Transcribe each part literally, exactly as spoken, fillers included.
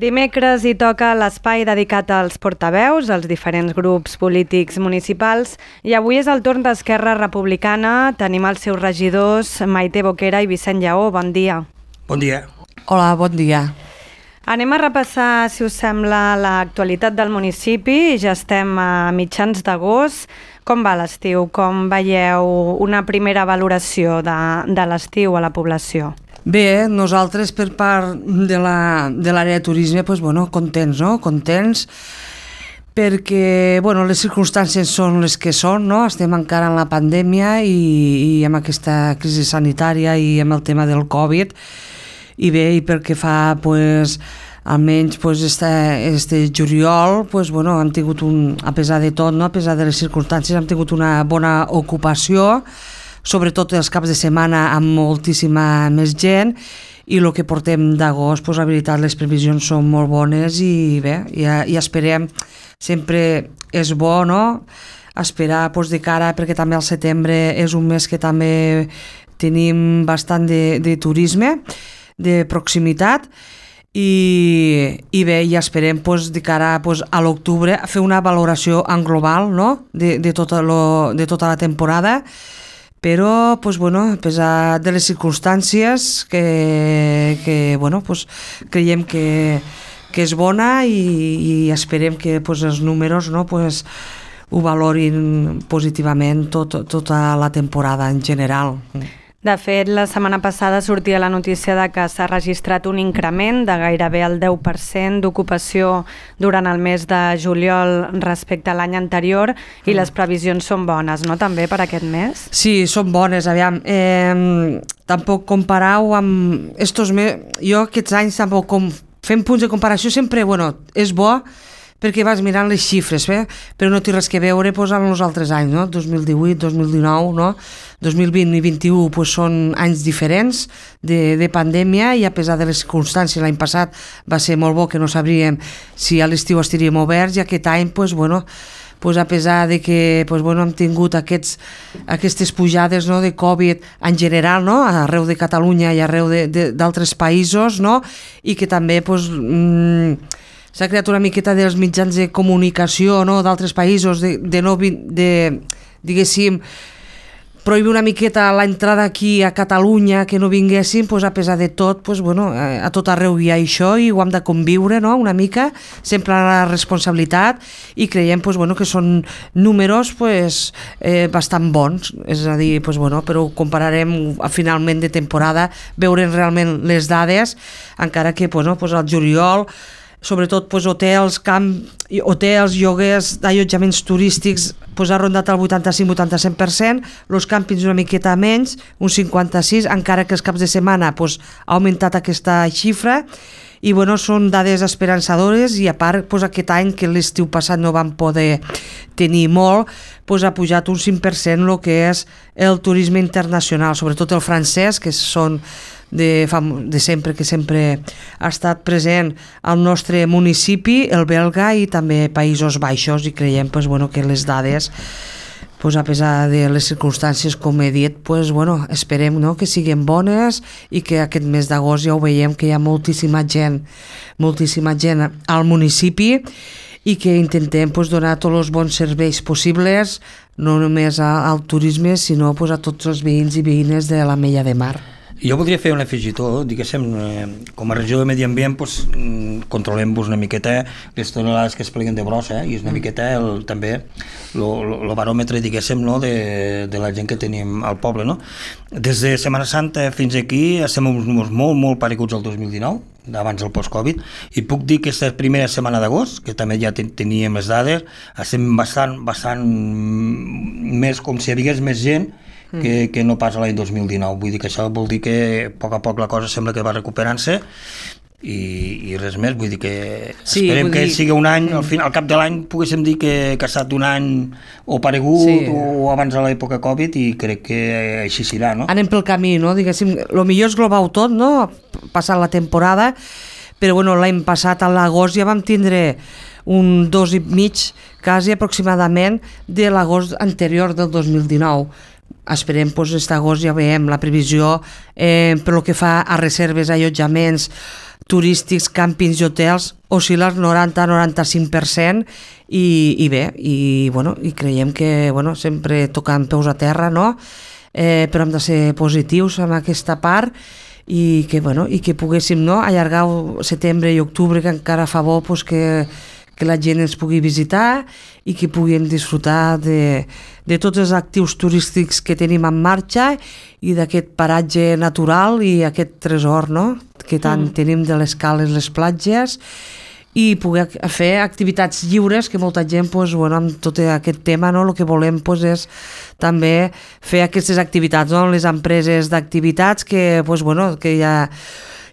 Dimecres hi toca l'espai dedicat als portaveus, als diferents grups polítics municipals, i avui és el torn d'Esquerra Republicana. Tenim els seus regidors, Maite Boquera i Vicent Lleó. Bon dia. Bon dia. Hola, bon dia. Anem a repassar, si us sembla, l'actualitat del municipi. Ja estem a mitjans d'agost. Com va l'estiu? Com veieu una primera valoració de, de l'estiu a la població? Bé, nosaltres per part de la, de l'àrea de turisme, doncs, bueno, contents, no? Contents perquè, bueno, les circumstàncies són les que són, no? Estem encara en la pandèmia i, i amb aquesta crisi sanitària i amb el tema del Covid, i bé, i perquè fa, pues, almenys pues, este, este juliol, pues, bueno, hem tingut un, a pesar de tot, no? A pesar de les circumstàncies, hem tingut una bona ocupació, sobretot els caps de setmana amb moltíssima més gent, i el que portem d'agost, pues, la veritat, les previsions són molt bones i bé, ja, ja esperem, sempre és bo, no?, esperar pues, de cara, perquè també el setembre és un mes que també tenim bastant de, de turisme, de proximitat, i, i bé, ja esperem pues, de cara pues, a l'octubre a fer una valoració en global, no?, de, de, tota lo, de tota la temporada, però pues, bueno, a pesar de les circumstàncies que, que bueno, pues, creiem que, que és bona i, i esperem que pues, els números, no, pues, ho valorin positivament tot, tota la temporada en general. De fet, la setmana passada sortia la notícia de que s'ha registrat un increment de gairebé el deu per cent d'ocupació durant el mes de juliol respecte a l'any anterior, i les previsions són bones, no?, també per aquest mes? Sí, són bones, aviam. Eh, tampoc comparau amb estos mesos, jo aquests anys tampoc com, fem punts de comparació sempre, bueno, és bo, perquè vas mirant les xifres, eh? Però no té res que veure pues, amb els altres anys, no? dos mil divuit, dos mil dinou, no? dos mil vint i vint-i-u pues, són anys diferents de, de pandèmia, i a pesar de les circumstàncies, l'any passat va ser molt bo, que no sabríem si a l'estiu estaríem oberts, i aquest any, pues, bueno, pues, a pesar de que pues, bueno, hem tingut aquests, aquestes pujades, no, de Covid en general, no, arreu de Catalunya i arreu d'altres països, no, i que també pues, mmm, s'ha creat una miqueta dels mitjans de comunicació, no, d'altres països, de, de no, de, diguéssim, prohibir una miqueta l'entrada aquí a Catalunya, que no vinguessin, pues, a pesar de tot, pues, bueno, a tot arreu hi ha això i ho hem de conviure, no?, una mica, sempre la responsabilitat, i creiem pues, bueno, que són números pues, eh, bastant bons, és a dir, pues, bueno, però ho compararem a finalment de temporada, veurem realment les dades, encara que pues, no, pues, al juliol, sobretot pues, hotels, camp, hotels, lloguers d'allotjaments turístics pues, ha rondat el vuitanta-cinc vuitanta-set per cent, els càmpings una miqueta menys, un cinquanta-sis, encara que els caps de setmana pues, ha augmentat aquesta xifra, i bueno, són dades esperançadores, i a part pues, aquest any, que l'estiu passat no vam poder tenir molt, pues, ha pujat un cinc per cent el que és el turisme internacional, sobretot el francès, que són de, de sempre, que sempre ha estat present al nostre municipi, el belga i també Països Baixos, i creiem pues, bueno, que les dades, pues, a pesar de les circumstàncies, com he dit, pues, bueno, esperem, no?, que siguin bones, i que aquest mes d'agost ja ho veiem que hi ha moltíssima gent, moltíssima gent al municipi, i que intentem pues, donar tots els bons serveis possibles, no només al turisme, sinó pues, a tots els veïns i veïnes de l'Ametlla de Mar. Jo voldria fer un afegitó, diguéssim, eh, com a regió de Medi Ambient pues, controlem-vos una miqueta les tonelades que es pleguen de brossa, eh, i és una miqueta el, també el baròmetre, diguéssim, no, de, de la gent que tenim al poble, no? Des de Setmana Santa fins aquí estem uns números molt, molt pareguts al dos mil dinou, abans del post-Covid, i puc dir que aquesta primera setmana d'agost, que també ja ten teníem les dades, estem bastant, bastant més, com si hi hagués més gent que, que no pas l'any dos mil dinou. Vull dir que això vol dir que a poc a poc la cosa sembla que va recuperant-se, i, i res més, vull dir que sí, esperem que dir... sigui un any, al, final, al cap de l'any poguéssim dir que, que ha estat un any o paregut, sí, o abans de l'època Covid, i crec que així serà, no? Anem pel camí, no? Diguéssim, el millor és global tot, no?, passant la temporada, però bueno, l'any passat a l'agost ja vam tindre un dos i mig, quasi aproximadament, de l'agost anterior del dos mil dinou. Esperem, doncs, aquest agost ja veiem la previsió, eh, per lo que fa a reserves, allotjaments, turístics, càmpings i hotels oscil·la al noranta a noranta-cinc per cent i, i bé, i, bueno, i creiem que bueno, sempre tocant peus a terra, no? Eh, però hem de ser positius en aquesta part i que, bueno, i que poguéssim no, allargar setembre i octubre, que encara fa bo pues, que, que la gent ens pugui visitar i que puguin disfrutar de, de tots els actius turístics que tenim en marxa i d'aquest paratge natural i aquest tresor no? que tant mm. tenim de les cales, les platges, i poder fer activitats lliures, que molta gent pues, bueno, amb tot aquest tema no, el que volem pues, és també fer aquestes activitats, no? Les empreses d'activitats que, pues, bueno, que ja,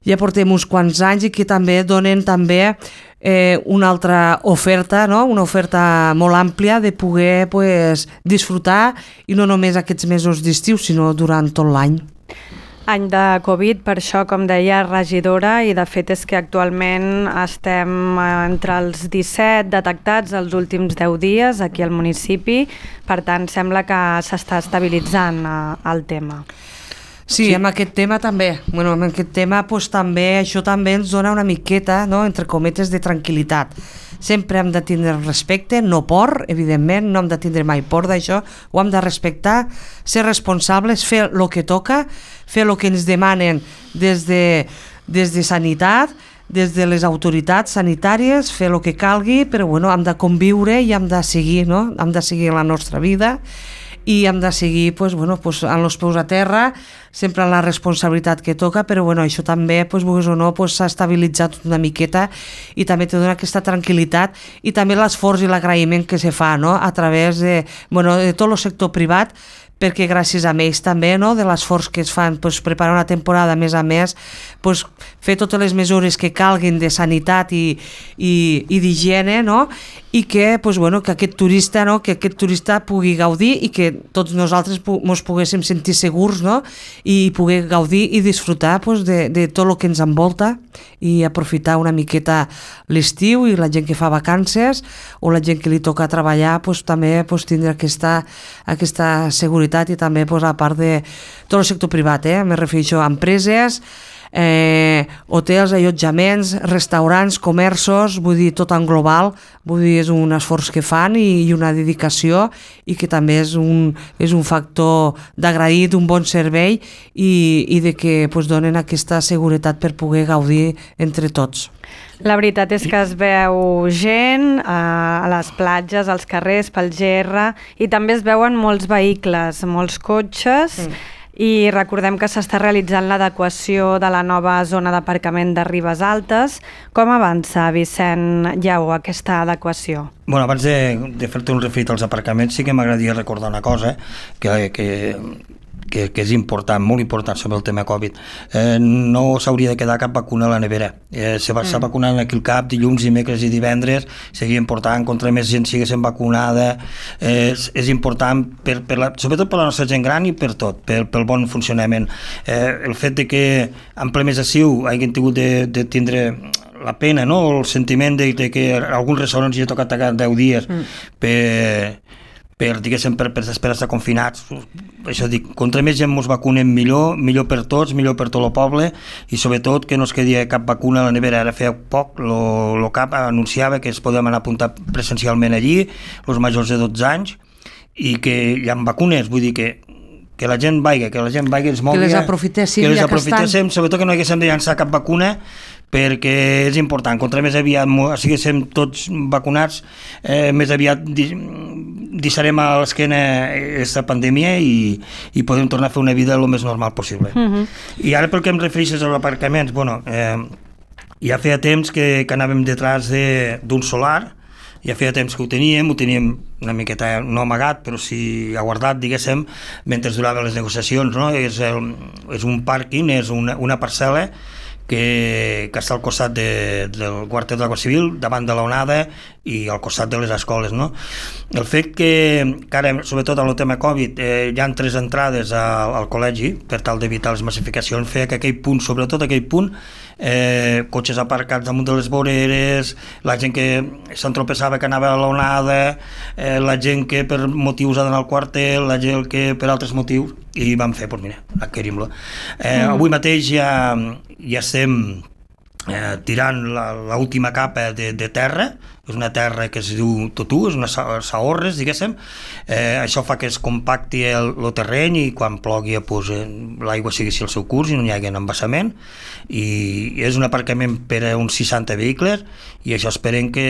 ja portem uns quants anys i que també donen també eh, una altra oferta, no? Una oferta molt àmplia de poder pues, disfrutar i no només aquests mesos d'estiu sinó durant tot l'any. Any de Covid, per això, com deia, regidora, i de fet és que actualment estem entre els disset detectats els últims deu dies aquí al municipi, per tant sembla que s'està estabilitzant el tema. Sí, sí, amb aquest tema també. Bueno, amb aquest tema pues, també, això també ens dona una miqueta, no, entre cometes, de tranquil·litat. Sempre hem de tindre respecte, no por, evidentment, no hem de tindre mai por d'això, ho hem de respectar, ser responsables, fer el que toca, fer el que ens demanen des de, des de sanitat, des de les autoritats sanitàries, fer el que calgui, però bueno, hem de conviure i hem de seguir, no? Hem de seguir la nostra vida i hem de seguir pues, bueno, pues, amb els peus a terra, sempre la responsabilitat que toca, però bueno, això també, pues, o no, pues, s'ha estabilitzat una miqueta i també te dona aquesta tranquil·litat i també l'esforç i l'agraïment que se fa no? A través de, bueno, de tot el sector privat, perquè gràcies a ells també, no? De l'esforç que es fan, pues, preparar una temporada a més a més, pues, fer totes les mesures que calguin de sanitat i, i, i d'higiene, no? I que, pues, bueno, que aquest turista, no? Que aquest turista pugui gaudir i que tots nosaltres ens poguéssim sentir segurs, no? I poder gaudir i disfrutar pues, de, de tot el que ens envolta i aprofitar una miqueta l'estiu i la gent que fa vacances o la gent que li toca treballar pues, també pues, tindre aquesta, aquesta seguretat i també pues, a part de tot el sector privat, eh? Me refereixo a empreses, eh, hotels, allotjaments, restaurants, comerços, vull dir, tot en global, vull dir, és un esforç que fan i, i una dedicació i que també és un, és un factor d'agrair d'un bon servei i, i de que pues, donen aquesta seguretat per poder gaudir entre tots. La veritat és que es veu gent a les platges, als carrers, pel G R, i també es veuen molts vehicles, molts cotxes, mm. i recordem que s'està realitzant l'adequació de la nova zona d'aparcament de Ribes Altes. Com avança, Vicent Lleó, aquesta adequació? Bueno, abans de, de fer-te un referit als aparcaments, sí que m'agradaria recordar una cosa, que, que, que, que és important, molt important sobre el tema Covid. Eh, no s'hauria de quedar cap vacuna a la nevera. Eh, se va mm. vacunant aquí al cap, dilluns, dimecres i divendres, seguia important, contra més gent siguessin vacunada, eh, és, és important, per, per la, sobretot per la nostra gent gran i per tot, per, pel bon funcionament. Eh, el fet de que en ple mes estiu hagin tingut de, de tindre la pena, no? El sentiment de, de que alguns restaurants hi ha tocat tacar deu dies mm. per... per, diguéssim, per, per, per estar confinats. Això dic, contra més gent ens vacunem millor, millor per tots, millor per tot el poble i sobretot que no es quedi cap vacuna a la nevera. Ara feia poc, el C A P anunciava que es podem anar a apuntar presencialment allí, els majors de dotze anys, i que hi ha vacunes, vull dir que que la gent vagi, que la gent vagi, ens mogui, que les aprofitéssim, que les ja que aprofitéssim, sobretot que no haguéssim de llançar cap vacuna, perquè és important, contra més aviat siguéssim tots vacunats, eh, més aviat deixarem a l'esquena aquesta pandèmia i, i podem tornar a fer una vida el més normal possible. Uh-huh. I ara pel que em refereixes als aparcaments, bueno, eh, ja feia temps que, que anàvem detrás d'un de, solar, ja feia temps que ho teníem, ho teníem una miqueta no amagat, però sí aguardat, diguéssim, mentre duraven les negociacions, no? És, el, és un pàrquing, és una, una parcel·la que, que està al costat de, del quarter de la Guàrdia Civil, davant de l'onada i al costat de les escoles, no? El fet que, que ara, sobretot amb el tema Covid, eh, hi ha tres entrades al, al col·legi per tal d'evitar les massificacions, feia que aquell punt, sobretot aquell punt, eh, cotxes aparcats damunt de les voreres, la gent que s'entropeçava que anava a l'onada, eh, la gent que per motius ha d'anar al quarter, la gent que per altres motius, i vam fer, doncs mira, adquirim-lo. Eh, mm. Avui mateix ja, ja estem eh, tirant l'última capa de, de terra, és una terra que es diu totú, és una saorres, diguéssim, eh, això fa que es compacti el, el terreny i quan plogui pues, eh, l'aigua sigui el seu curs i no hi hagi embassament, i és un aparcament per a uns seixanta vehicles i això esperem que,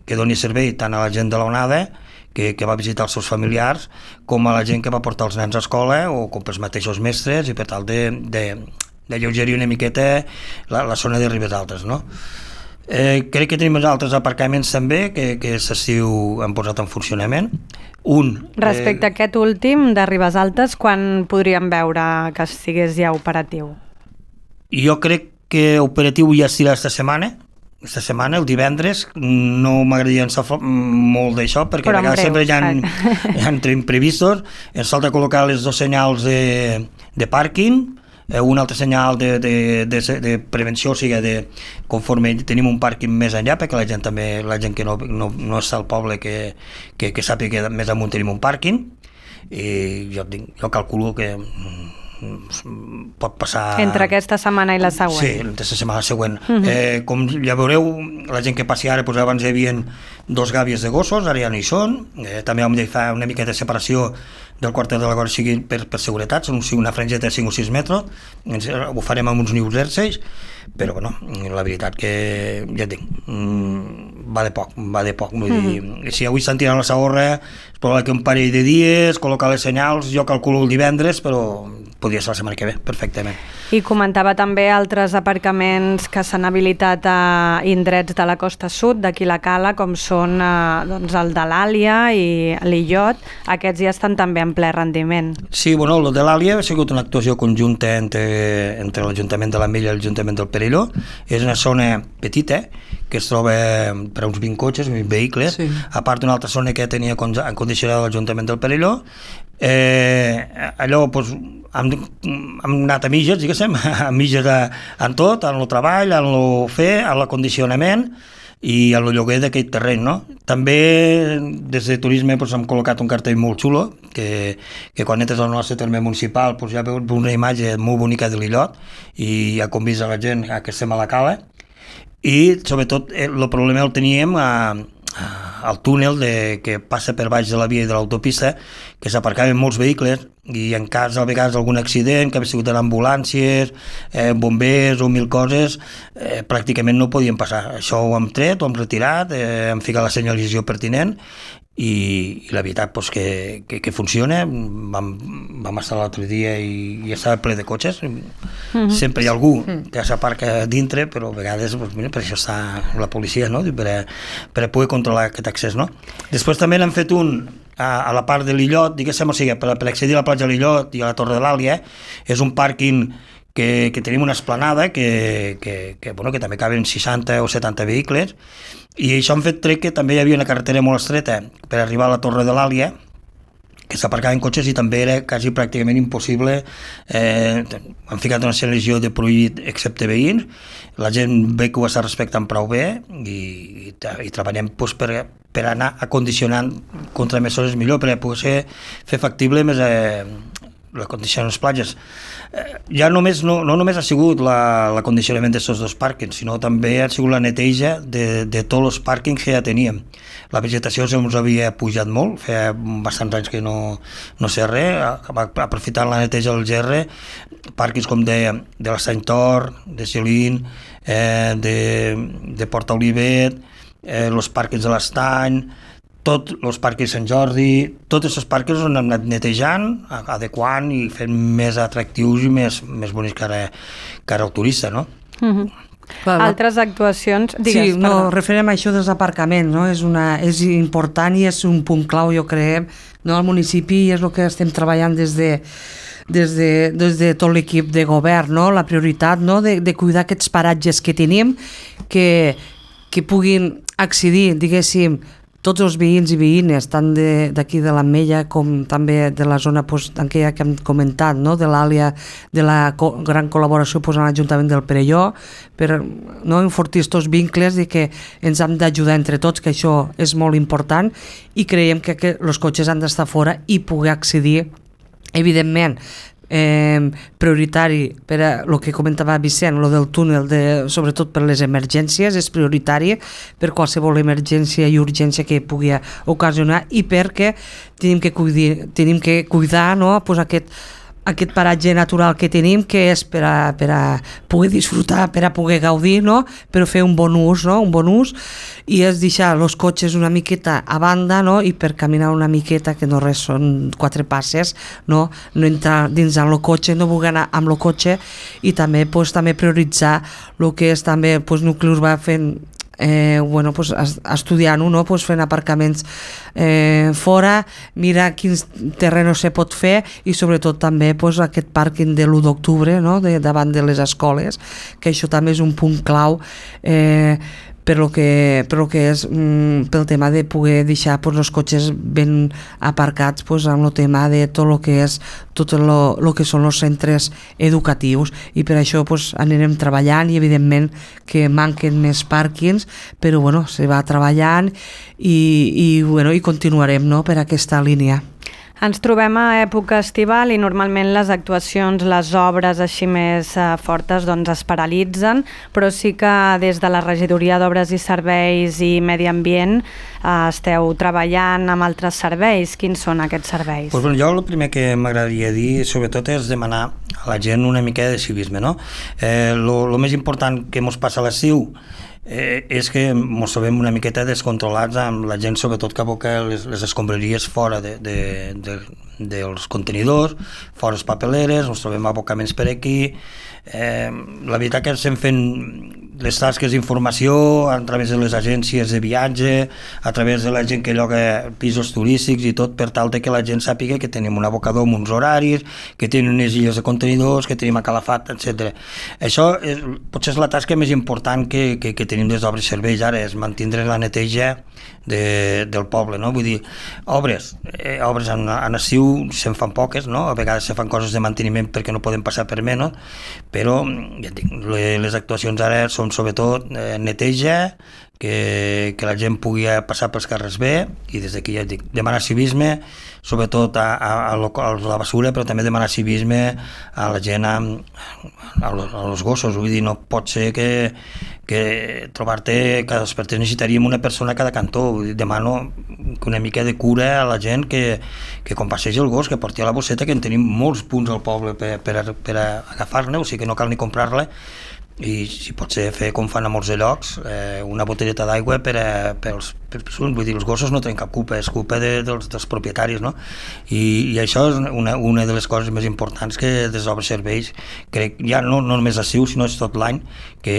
que doni servei tant a la gent de l'onada que, que va visitar els seus familiars com a la gent que va portar els nens a escola o com pels mateixos mestres i per tal de, de, de lleugerir una miqueta la, la zona de Ribes Altes, no? Eh, crec que tenim altres aparcaments també que, que s'estiu han posat en funcionament. Un, Respecte eh... a aquest últim de Ribes Altes, quan podríem veure que estigués ja operatiu? Jo crec que operatiu ja estirà esta setmana, esta setmana, el divendres. No m'agradaria ensafar molt d'això perquè a vegades sempre hi ha, hi ha imprevistos. Ens falta col·locar les dos senyals de, de pàrquing, un altre senyal de, de, de, de prevenció, o sigui, de, conforme tenim un pàrquing més enllà, perquè la gent també, la gent que no, no, no està al poble que, que, que sàpiga que més amunt tenim un pàrquing, i jo, jo calculo que pot passar... Entre aquesta setmana i la següent. Sí, entre la setmana següent. Uh -huh. eh, com ja veureu, la gent que passi ara, doncs abans hi havia dos gàbies de gossos, ara ja no hi són, eh, també hem de fer una mica de separació del quarter de la Guàrdia Civil per, per seguretat, són una frangeta de cinc o sis metres, ens, ho farem amb uns nius erces, però bueno, la veritat que ja et dic, va de poc, va de poc, vull mm-hmm. dir, si avui estan tirant la Sagorra, es pot que un parell de dies, col·locar les senyals, jo calculo el divendres, però podria ser la setmana que ve, perfectament. I comentava també altres aparcaments que s'han habilitat a indrets de la costa sud, d'aquí la Cala, com són eh, doncs el de l'Àlia i l'Illot, aquests ja estan també en ple rendiment. Sí, bueno, el de l'Àlia ha sigut una actuació conjunta entre, entre l'Ajuntament de la Mella i l'Ajuntament del Perelló. És una zona petita, que es troba per a uns vint cotxes, vint vehicles, sí. A part d'una altra zona que tenia condicionada l'Ajuntament del Perelló. Eh, allò, doncs, hem, hem anat a mitges, diguéssim, a mitges a, en tot, en el treball, en el fer, en l'acondicionament i en el lloguer d'aquest terreny, no? També des de turisme doncs, hem col·locat un cartell molt xulo, que, que quan entres al nostre terme municipal doncs, ja veus una imatge molt bonica de l'Illot i ja convida a la gent a que estem a la Cala. I sobretot el problema el teníem a, a, al túnel de, que passa per baix de la via i de l'autopista, que s'aparcaven molts vehicles i en cas a vegades d'algun accident, que havia sigut en ambulàncies, eh, bombers o mil coses, eh, pràcticament no podien passar. Això ho hem tret, ho hem retirat, eh, hem ficat la senyalització pertinent i, i la veritat doncs, que, que, que funciona. Vam, vam estar l'altre dia i, i estava ple de cotxes. Mm-hmm. Sempre hi ha algú que s'aparca dintre, però a vegades doncs, mira, per això està la policia, no? per, a, per a poder controlar aquest accés. No? Després també n'hem fet un a, a la part de l'Illot, diguéssim, o sigui, per, per accedir a la platja de l'Illot i a la Torre de l'Àlia, és un pàrquing que, que tenim una esplanada que, que, que, bueno, que també caben seixanta o setanta vehicles, i això han fet trec que també hi havia una carretera molt estreta per arribar a la Torre de l'Àlia, que s'aparcaven cotxes i també era quasi pràcticament impossible. Eh, han ficat una selecció de prohibit excepte veïns, la gent ve que ho està respectant prou bé i, i, i treballem doncs, per, per anar acondicionant contramesures millor, per poder ser, fer factible més eh, l'acondicionament de les platges. Eh, ja només, no, no només ha sigut l'acondicionament la, d'aquests dos pàrquings, sinó també ha sigut la neteja de, de tots els pàrquings que ja teníem. La vegetació se'ns havia pujat molt, feia bastants anys que no, no sé res, aprofitant la neteja del gerre, pàrquings com de, de l'Estany Tor, de Celín, eh, de, de Porta Olivet, eh, els pàrquings de l'Estany, tots els pàrquings Sant Jordi, tots aquests pàrquings on hem anat netejant, adequant i fent més atractius i més, més bonics que ara, que ara el turista, no? Mm-hmm. Clar, altres actuacions... Digues, sí, no, referent a això dels aparcaments, no? és, una, és important i és un punt clau, jo crec, no? Al municipi, i és el que estem treballant des de, des de, des de tot l'equip de govern, no? La prioritat, no? de, de cuidar aquests paratges que tenim, que, que puguin accedir, diguéssim, tots els veïns i veïnes, tant d'aquí de, de l'Ametlla com també de la zona pues, aquella que hem comentat, no? De l'Àlia, de la co gran col·laboració pues, amb l'Ajuntament del Perelló, per no, enfortir aquests vincles i que ens hem d'ajudar entre tots, que això és molt important, i creiem que, que els cotxes han d'estar fora i poder accedir, evidentment, eh, prioritari per a el que comentava Vicent, lo del túnel, de, sobretot per les emergències, és prioritari per qualsevol emergència i urgència que pugui ocasionar, i perquè tenim que cuidar, tenim que cuidar no? pues aquest aquest paratge natural que tenim, que és per a, per a poder disfrutar, per a poder gaudir, no? Però fer un bon ús, no? Un bon ús, i és deixar els cotxes una miqueta a banda, no? I per caminar una miqueta, que no res són quatre passes, no? No entrar dins del cotxe, no voler anar amb el cotxe, i també, pues, també prioritzar el que és també pues, nucli urbà fent Eh, bueno, pues, estudiant-ho, no? Pues, fent aparcaments eh, fora, mirar quins terrenos se pot fer, i sobretot també pues, aquest pàrquing de l'u d'octubre, no? de, davant de les escoles, que això també és un punt clau eh, per lo que, per lo que és mm, pel tema de poder deixar pues, els cotxes ben aparcats pues, amb el tema de tot el que és tot el que són els centres educatius, i per això pues, anirem treballant, i evidentment que manquen més pàrquings, però bueno, se va treballant i, i, bueno, i continuarem no, per aquesta línia. Ens trobem a època estival i normalment les actuacions, les obres així més eh, fortes doncs es paralitzen, però sí que des de la Regidoria d'Obres i Serveis i Medi Ambient eh, esteu treballant amb altres serveis. Quins són aquests serveis? Pues, bueno, jo el primer que m'agradaria dir sobretot és demanar a la gent una mica de civisme, no? Eh, lo, lo més important que mos passa a l'estiu Eh, és que ens trobem una miqueta descontrolats amb la gent, sobretot que aboca les, les escombraries fora de, de, de, dels contenidors, fora les papeleres, ens trobem abocaments per aquí. Eh, la veritat que estem fent les tasques d'informació a través de les agències de viatge, a través de la gent que lloga pisos turístics i tot, per tal de que la gent sàpiga que tenim un abocador amb uns horaris, que tenim unes illes de contenidors, que tenim a Calafat, etcètera. Això és, potser és la tasca més important que, que, que tenim des d'Obres Serveis ara, és mantenir la neteja de, del poble, no? Vull dir, obres, eh, obres en, en estiu se'n fan poques, no? A vegades se fan coses de manteniment perquè no poden passar per menys, però ja dic, les actuacions ara són sobretot eh, neteja, que, que la gent pugui passar pels carrers bé, i des d'aquí ja dic, demanar civisme, sobretot a, a, a la basura, però també demanar civisme a la gent, a, a, a los gossos. Vull dir, no pot ser que, que trobar-te cada despertar necessitaríem una persona a cada cantó. Vull dir, demano una mica de cura a la gent, que, que quan passegi el gos, que porti a la bosseta, que en tenim molts punts al poble per, per, per agafar-ne, o sigui que no cal ni comprar-la, i si pot ser fer com fan a molts de llocs, eh, una botelleta d'aigua per, a, per, als, per vull dir, els gossos no tenen cap culpa, és culpa de, dels, dels propietaris, no? I, i això és una, una de les coses més importants que des d'Obres Serveis, crec, ja no, no només l'estiu, sinó és tot l'any, que,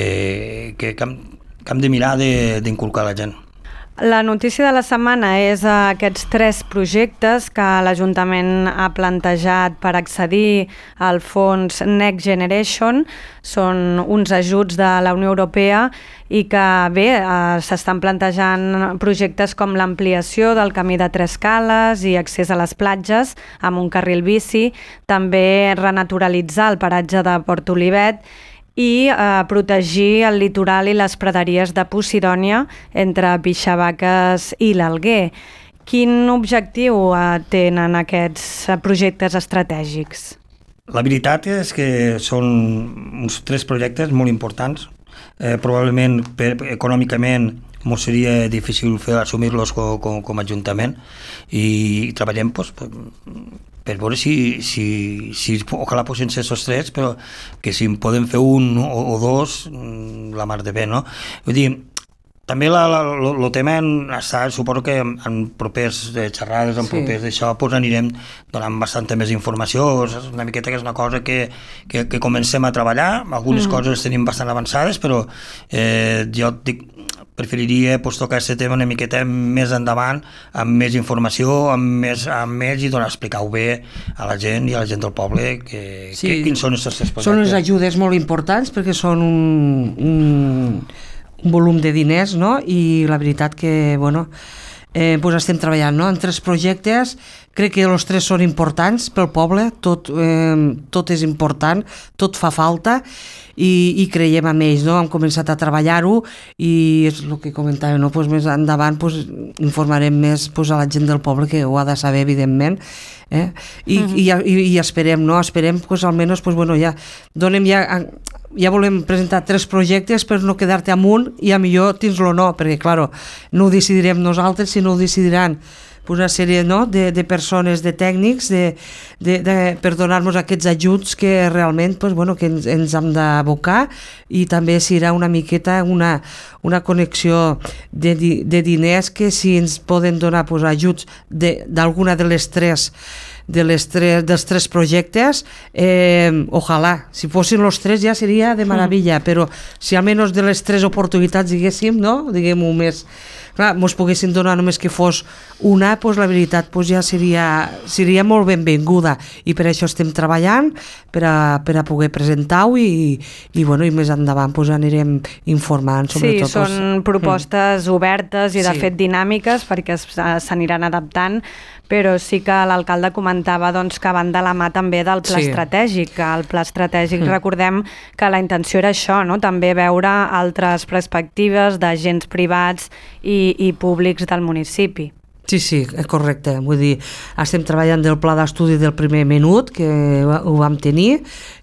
que, que, hem, que hem de mirar d'inculcar la gent. La notícia de la setmana és aquests tres projectes que l'Ajuntament ha plantejat per accedir al fons Next Generation. Són uns ajuts de la Unió Europea i que, bé, eh, s'estan plantejant projectes com l'ampliació del camí de Tres Cales i accés a les platges amb un carril bici, també renaturalitzar el paratge de Port Olivet i eh, protegir el litoral i les praderies de Posidònia entre Pixavaques i l'Alguer. Quin objectiu eh, tenen aquests projectes estratègics? La veritat és que són uns tres projectes molt importants. Eh, probablement per, econòmicament ens seria difícil fer assumir-los com, com, com a Ajuntament, i treballem pues, per, per veure si, si, si ojalà poden ser aquests tres, però que si en podem fer un o, o dos, la mar de bé, no? Vull dir, també el tema està, suposo que en, en propers xerrades, en sí. propers d'això, pues anirem donant bastanta més informació. És una miqueta que és una cosa que, que, que comencem a treballar, algunes mm. coses tenim bastant avançades, però eh, jo dic, preferiria pues, tocar aquest tema una miqueta més endavant, amb més informació, amb més, amb més i donar, explicar-ho bé a la gent i a la gent del poble que, sí. que, quins són aquests projectes. Són unes ajudes molt importants perquè són un, un, un volum de diners, no? I la veritat que, bueno, eh, pues estem treballant, no?, en tres projectes crec que els tres són importants pel poble, tot, eh, tot és important, tot fa falta i, i creiem en ells, no? Hem començat a treballar-ho i és el que comentava, no? Pues més endavant pues, informarem més pues, a la gent del poble que ho ha de saber, evidentment, eh? I, uh-huh. i, i, i esperem, no? Esperem, pues, almenys, pues, bueno, ja donem ja... ja volem presentar tres projectes per no quedar-te amunt i a millor tens-lo no, perquè, clar, no ho decidirem nosaltres, sinó ho decidiran una sèrie no, de, de persones, de tècnics, de, de, de, per donar-nos aquests ajuts que realment pues, bueno, que ens, ens hem d'abocar i també serà una miqueta una, una connexió de, de diners que si ens poden donar pues, ajuts d'alguna de, de les tres de les tres, dels tres projectes, eh, ojalà, si fossin els tres ja seria de meravella, mm. però si almenys de les tres oportunitats diguéssim, no? Diguem-ho més, clar, mos poguessin donar només que fos una, doncs la veritat doncs ja seria, seria molt benvinguda i per això estem treballant per a, per a poder presentar-ho i, i, bueno, i més endavant doncs anirem informant sobretot. Sí, són propostes mm. obertes i de sí. fet dinàmiques perquè s'aniran adaptant, però sí que l'alcalde comentava doncs, que van de la mà també del pla sí. estratègic. El pla estratègic, mm. recordem que la intenció era això, no? També veure altres perspectives d'agents privats i, i públics del municipi. Sí, sí, és correcte. Vull dir, estem treballant del pla d'estudi del primer minut, que ho vam tenir,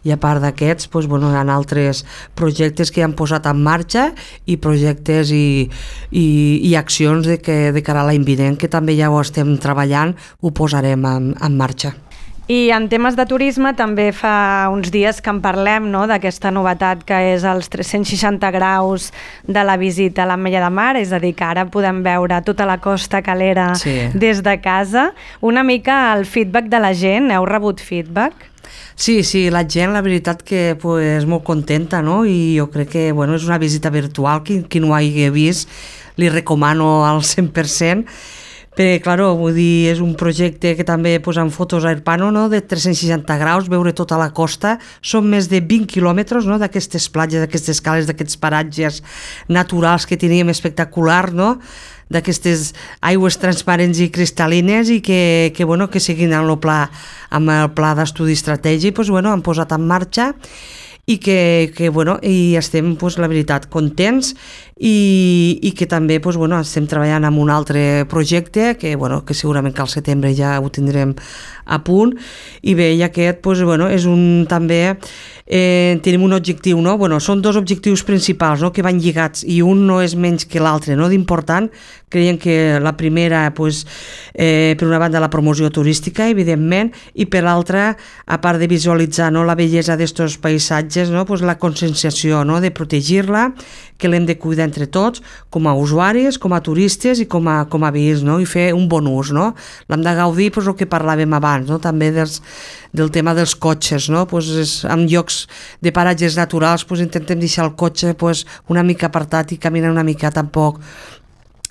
i a part d'aquests, doncs, bueno, hi ha altres projectes que han posat en marxa i projectes i, i, i accions de, que, de cara a l'any vinent, que també ja ho estem treballant, ho posarem en, en marxa. I en temes de turisme també fa uns dies que en parlem, no?, d'aquesta novetat que és els tres-cents seixanta graus de la visita a l'Ametlla de Mar, és a dir, que ara podem veure tota la costa calera sí. des de casa. Una mica el feedback de la gent, heu rebut feedback? Sí, sí, la gent, la veritat que pues, molt contenta, no? I jo crec que bueno, és una visita virtual, qui, qui no ho hagi vist, li recomano al cent per cent, perquè, clar, vull dir, és un projecte que també posen fotos a Irpano, no?, de tres-cents seixanta graus, veure tota la costa, són més de vint quilòmetres, no?, d'aquestes platges, d'aquestes cales, d'aquests paratges naturals que teníem espectacular, no?, d'aquestes aigües transparents i cristal·lines i que, que, bueno, que seguint amb el pla, amb el pla d'estudi estratègic, doncs, bueno, han posat en marxa i que, que bueno, i estem, pues, la veritat, contents i, i que també pues, bueno, estem treballant en un altre projecte que, bueno, que segurament que al setembre ja ho tindrem a punt i bé, i aquest pues, bueno, és un també eh, tenim un objectiu, no? Bueno, són dos objectius principals, no?, que van lligats i un no és menys que l'altre, no?, d'important. Creiem que la primera pues, eh, per una banda la promoció turística, evidentment, i per l'altra, a part de visualitzar, no?, la bellesa d'estos paisatges, no?, pues, la conscienciació, no?, de protegir-la, que l'hem de cuidar entre tots, com a usuaris, com a turistes i com a, com a veïns, no?, i fer un bon ús, no? L'hem de gaudir, pues, el que parlàvem abans, no?, també dels, del tema dels cotxes, no?, pues, és, en llocs de paratges naturals pues, intentem deixar el cotxe pues, una mica apartat i caminar una mica tampoc.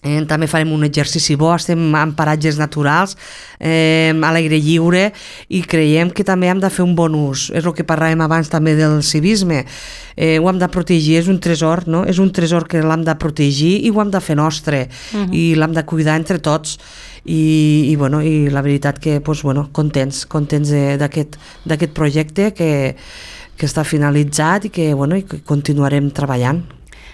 Eh, també farem un exercici bo, estem en paratges naturals, eh, a l'aire lliure i creiem que també hem de fer un bon ús. És el que parlàvem abans també del civisme. Eh, ho hem de protegir, és un tresor, no? És un tresor que l'hem de protegir i ho hem de fer nostre uh-huh. i l'hem de cuidar entre tots. I, i, bueno, i la veritat que pues, bueno, contents, contents d'aquest d'aquest projecte que, que està finalitzat i que, bueno, i que continuarem treballant.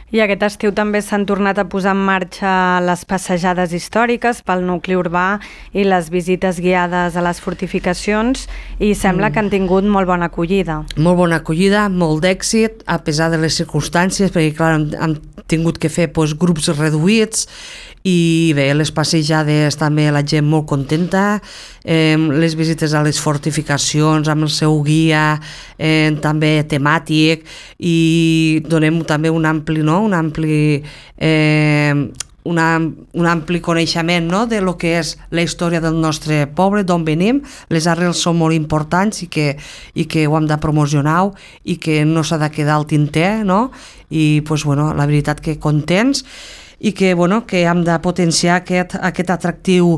I aquest estiu també s'han tornat a posar en marxa les passejades històriques pel nucli urbà i les visites guiades a les fortificacions i sembla mm. que han tingut molt bona acollida. Molt bona acollida, molt d'èxit, a pesar de les circumstàncies, perquè clar, hem, hem tingut que fer doncs, grups reduïts i bé, les passejades també la gent molt contenta, eh, les visites a les fortificacions amb el seu guia eh, també temàtic i donem també un ampli, no? un ampli eh, una, un ampli coneixement, no? de lo que és la història del nostre poble, d'on venim. Les arrels són molt importants i que, i que ho hem de promocionar i que no s'ha de quedar al tinter, no? I pues, bueno, la veritat que contents i que, bueno, que hem de potenciar aquest, aquest atractiu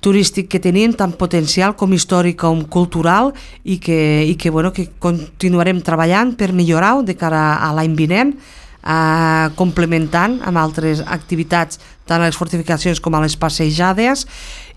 turístic que tenim, tant potencial com històric com cultural i que, i que, bueno, que continuarem treballant per millorar-ho de cara a l'any vinent eh, complementant amb altres activitats, tant a les fortificacions com a les passejades,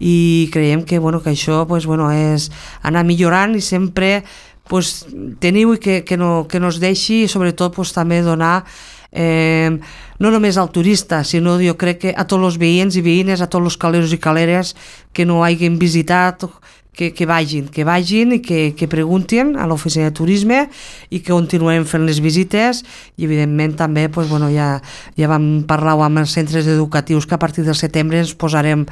i creiem que, bueno, que això pues, bueno, és anar millorant i sempre pues, teniu i que, que, no, que no es deixi, i sobretot pues, també donar eh, no només al turista, sinó jo crec que a tots els veïns i veïnes, a tots els caleros i caleres que no hagin visitat, que, que vagin, que vagin i que, que preguntin a l'oficina de turisme i que continuem fent les visites, i evidentment també pues, bueno, ja, ja vam parlar amb els centres educatius que a partir del setembre ens posarem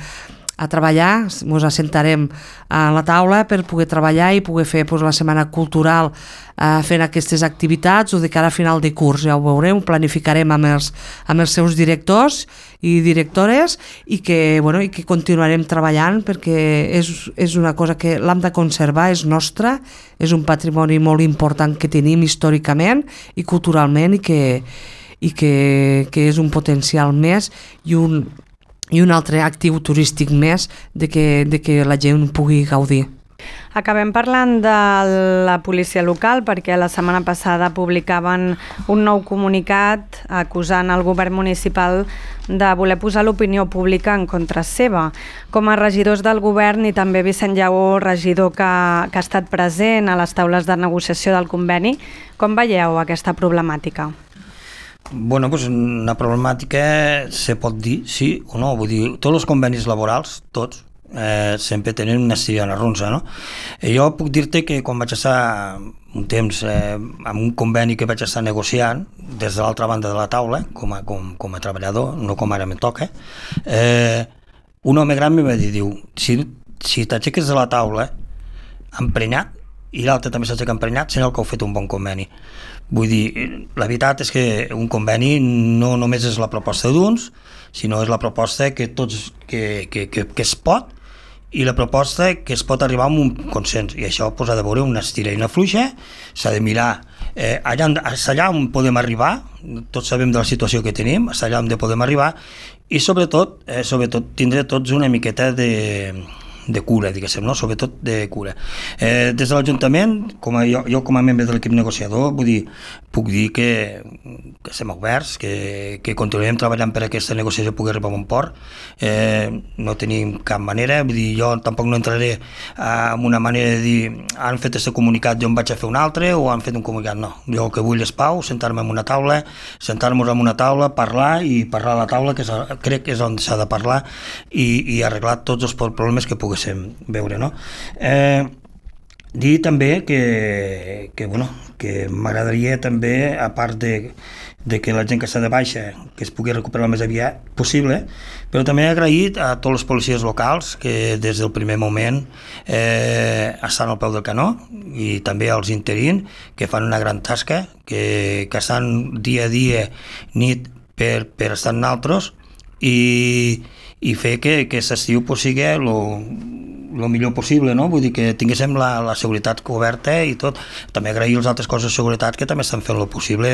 a treballar, ens assentarem a la taula per poder treballar i poder fer pues, la setmana cultural eh, fent aquestes activitats, o de cara a final de curs, ja ho veurem, ho planificarem amb els, amb els seus directors i directores, i que, bueno, i que continuarem treballant, perquè és, és una cosa que l'hem de conservar, és nostra, és un patrimoni molt important que tenim històricament i culturalment, i que, i que, que és un potencial més i un i un altre actiu turístic més de que, de que la gent pugui gaudir. Acabem parlant de la policia local, perquè la setmana passada publicaven un nou comunicat acusant el govern municipal de voler posar l'opinió pública en contra seva. Com a regidors del govern, i també Vicent Lleó, regidor que, que ha estat present a les taules de negociació del conveni, com veieu aquesta problemàtica? Bueno, pues una problemàtica se pot dir sí o no, vull dir, tots els convenis laborals, tots, eh, sempre tenen una estirada ronsa, no? I jo puc dir-te que quan vaig estar un temps eh, amb un conveni que vaig estar negociant des de l'altra banda de la taula, com a, com, com a treballador, no com ara me toca, eh, un home gran em va dir, diu, si, si t'aixeques de la taula emprenyat i l'altre també s'aixeca emprenyat, serà el que heu fet un bon conveni. Vull dir, la veritat és que un conveni no només és la proposta d'uns, sinó és la proposta que tots que, que, que, que es pot, i la proposta que es pot arribar a un consens, i això pues, ha de veure una estira i una fluixa, s'ha de mirar eh, allà, allà on podem arribar, tots sabem de la situació que tenim, allà on podem arribar, i sobretot, eh, sobretot tindre tots una miqueta de de cura, diguéssim, no? Sobretot de cura. Eh, des de l'Ajuntament, com a, jo, jo com a membre de l'equip negociador, vull dir, puc dir que, que estem oberts, que, que continuem treballant per aquesta negociació pugui arribar a bon port. Eh, no tenim cap manera, vull dir, jo tampoc no entraré en una manera de dir han fet aquest comunicat, jo em vaig a fer un altre, o han fet un comunicat, no. Jo el que vull és pau, sentar-me en una taula, sentar-nos en una taula, parlar i parlar a la taula, que és, crec que és on s'ha de parlar, i, i arreglar tots els problemes que pugui veure, no? Eh, dir també que, que, bueno, que m'agradaria també, a part de, de que la gent que està de baixa que es pugui recuperar el més aviat possible, però també he agraït a tots els policies locals que des del primer moment eh, estan al peu del canó, i també als interins que fan una gran tasca, que, que estan dia a dia, nit per, per estar en altres, i i fer que aquest estiu pues, sigui el millor possible, no? Vull dir que tinguéssim la, la seguretat coberta i tot. També agrair els altres cossos de seguretat que també estan fent el possible,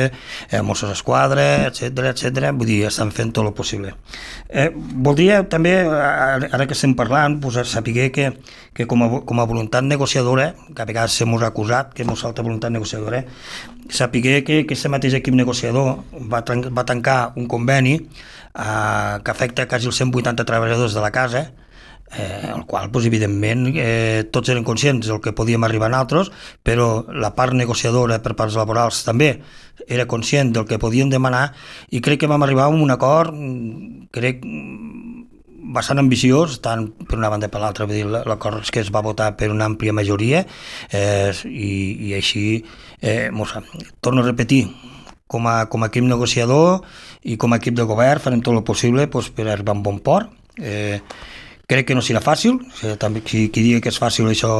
eh, Mossos d'Esquadra, etcètera, etcètera. Vull dir, estan fent tot el possible. Eh, voldria també, ara que estem parlant, pues, saber que, que com, a, com a voluntat negociadora, que a vegades s'hem acusat que ens falta voluntat negociadora, saber que aquest mateix equip negociador va, va tancar un conveni Uh, que afecta quasi els cent vuitanta treballadors de la casa, eh, el qual, pues, evidentment, eh, tots eren conscients del que podíem arribar a nosaltres, però la part negociadora per parts laborals també era conscient del que podíem demanar, i crec que vam arribar a un acord, crec, bastant ambiciós, tant per una banda i per l'altra. L'acord és que es va votar per una àmplia majoria, eh, i, i així, eh, torno a repetir, com a, com a equip negociador i com a equip de govern farem tot el possible pues, per arribar a un bon port. Eh, crec que no serà fàcil, eh, també, si qui digui que és fàcil això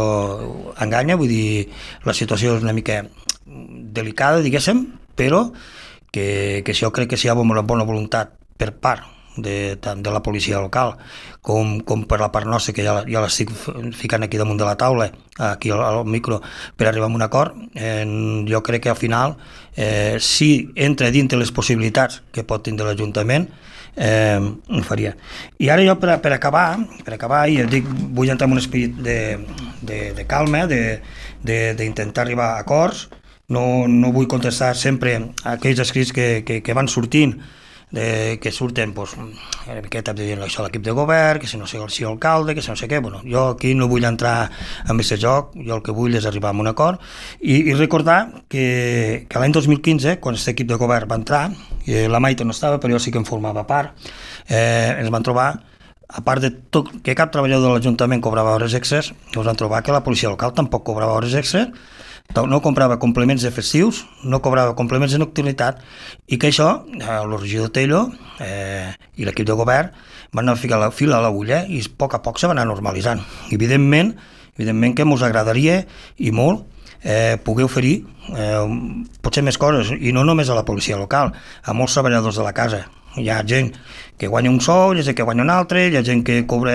enganya, vull dir, la situació és una mica delicada, diguéssim, però que, que jo crec que si hi ha bona, bona voluntat per part de, tant de la policia local com, com per la part nostra, que ja, ja l'estic ficant aquí damunt de la taula, aquí al, al micro, per arribar a un acord, eh, jo crec que al final, eh, si entra dintre les possibilitats que pot tindre l'Ajuntament, eh, ho faria. I ara jo, per, per acabar, per acabar, i dic, vull entrar en un esperit de, de, de calma, d'intentar arribar a acords, no, no vull contestar sempre a aquells escrits que, que, que van sortint, de, que surten pues, una miqueta dient això a l'equip de govern, que si no sé el si alcalde, que si no sé què. Bueno, jo aquí no vull entrar en aquest joc, jo el que vull és arribar a un acord i, i recordar que, que l'any dos mil quinze, quan aquest equip de govern va entrar, i la Maite no estava, però jo sí que en formava part, eh, ens van trobar, a part de tot, que cap treballador de l'Ajuntament cobrava hores extres, ens van trobar que la policia local tampoc cobrava hores extres, no comprava complements de festius, no cobrava complements de nocturnitat, i que això, el regidor Tello eh, i l'equip de govern van anar a ficar la fila a l'agulla i a poc a poc se va anar normalitzant. Evidentment, evidentment que ens agradaria i molt eh, poder oferir eh, potser més coses, i no només a la policia local, a molts treballadors de la casa. Hi ha gent que guanya un sou, hi ha gent que guanya un altre, hi ha gent que cobra,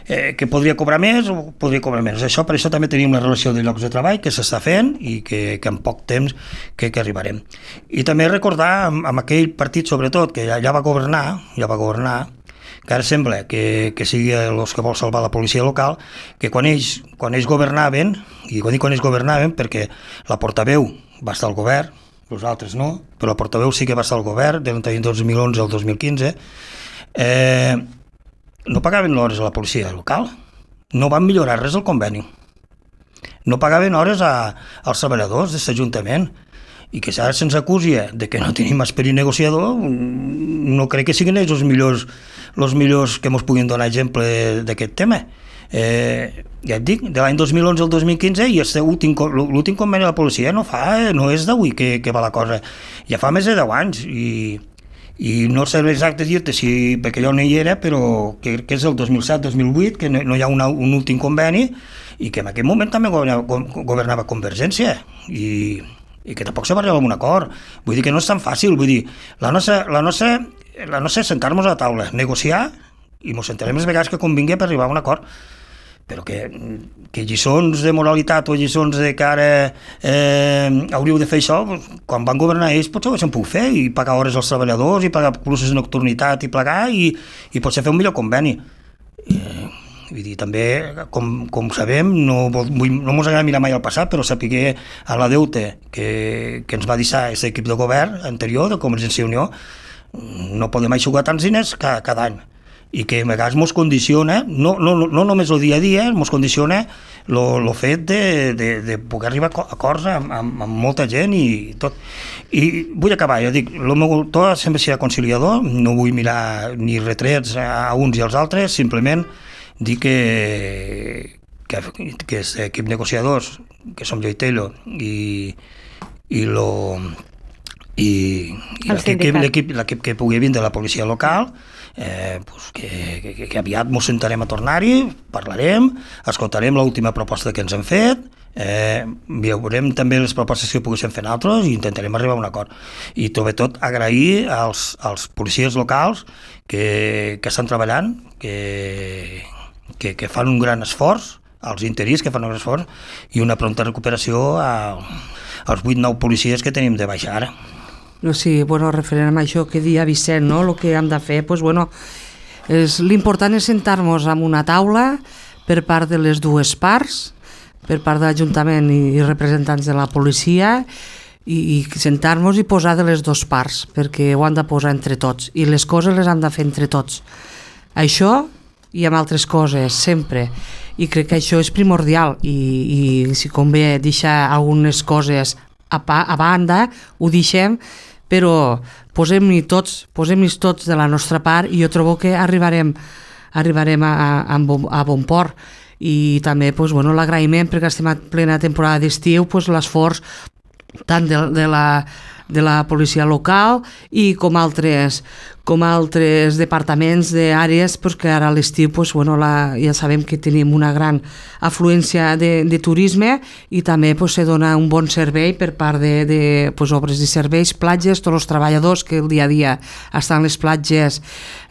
eh, que podria cobrar més o podria cobrar menys. Això, per això també tenim la relació de llocs de treball que s'està fent i que, que en poc temps que, que arribarem. I també recordar amb, amb aquell partit, sobretot, que ja, ja va governar, ja va governar, que ara sembla que, que sigui els que vol salvar la policia local, que quan ells, quan ells governaven, i quan dic quan ells governaven perquè la portaveu va estar al govern, els altres no, però la portaveu sí que va estar al govern del dos mil onze al dos mil quinze, eh, no pagaven hores a la policia local, no van millorar res el conveni, no pagaven hores a, als treballadors d'aquest Ajuntament, i que ara se'ns acusi de que no tenim esperit negociador, no crec que siguin ells els millors, els millors que ens puguin donar exemple d'aquest tema. Eh, ja et dic, de l'any dos mil onze al dos mil quinze, i l'últim conveni de la policia no fa, no és d'avui que, que va la cosa, ja fa més de deu anys, i, i no sé exacte dir-te si, perquè jo no hi era, però que, que és el dos mil set dos mil vuit, que no, no hi ha una, un últim conveni, i que en aquell moment també governava, governava Convergència, i, i que tampoc se va arribar a un acord. Vull dir que no és tan fàcil, vull dir, la nostra, la nostra, la nostra és sentar-nos a la taula, negociar, i ens sentarem les vegades que convingui per arribar a un acord, però que, que lliçons de moralitat o lliçons de que ara eh, hauríeu de fer això, quan van governar ells potser ho haguessin pogut fer, i pagar hores als treballadors, i pagar cursos de nocturnitat, i plegar, i, i potser fer un millor conveni. Eh, vull dir, també, com, com sabem, no, vull, no ens agrada mirar mai al passat, però sapiguer a la deute que, que ens va deixar aquest equip de govern anterior, de Convergència i Unió, no podem aixugar tants diners cada, cada any, i que a vegades ens condiciona, no, no, no només el dia a dia, ens condiciona el fet de, de, de poder arribar a acords amb, amb, amb molta gent i tot. I vull acabar, jo dic, el meu to sempre serà conciliador, no vull mirar ni retrets a uns i als altres, simplement dir que que, que és equip negociadors, que som jo i Tello, i, i lo i, i l'equip que pugui vindre de la policia local, eh, pues que, que, que aviat ens sentarem a tornar-hi, parlarem, escoltarem l'última proposta que ens han fet, eh, veurem també les propostes que poguéssim fer nosaltres i intentarem arribar a un acord. I sobretot agrair als, als policies locals que, que estan treballant, que, que, que fan un gran esforç, als interins que fan un esforç, i una pronta recuperació a, als vuit nou policies que tenim de baixa ara. No, sí, bueno, referent a això que dia Vicent, no? El que hem de fer, pues, bueno, és, l'important és sentar-nos en una taula per part de les dues parts, per part de l'Ajuntament i, i representants de la policia, i, i sentar-nos i posar de les dues parts, perquè ho han de posar entre tots, i les coses les han de fer entre tots. Això i amb altres coses, sempre. I crec que això és primordial, i, i si convé deixar algunes coses a, pa, a banda, ho deixem, però posem-hi tots, posem-hi tots de la nostra part, i jo trobo que arribarem, arribarem a, a, a bon port. I també pues, bueno, l'agraïment, perquè estem a plena temporada d'estiu, pues, l'esforç tant de, de, la, de la policia local i com altres, com altres departaments d'àrees, pues, que ara a l'estiu pues, bueno, la, ja sabem que tenim una gran afluència de, de turisme, i també pues, se dona un bon servei per part de, de pues, obres i serveis, platges, tots els treballadors que el dia a dia estan a les platges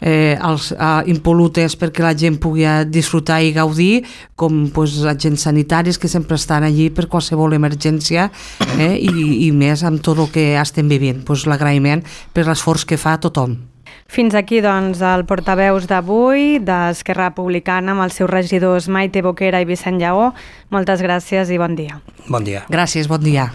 eh, als, a, impolutes perquè la gent pugui disfrutar i gaudir, com pues, agents sanitaris que sempre estan allí per qualsevol emergència, eh, i, i més amb tot el que estem vivint. Pues, l'agraïment per l'esforç que fa tothom. Fins aquí, doncs, el portaveus d'avui d'Esquerra Republicana amb els seus regidors Maite Boquera i Vicent Lleó. Moltes gràcies i bon dia. Bon dia. Gràcies, bon dia.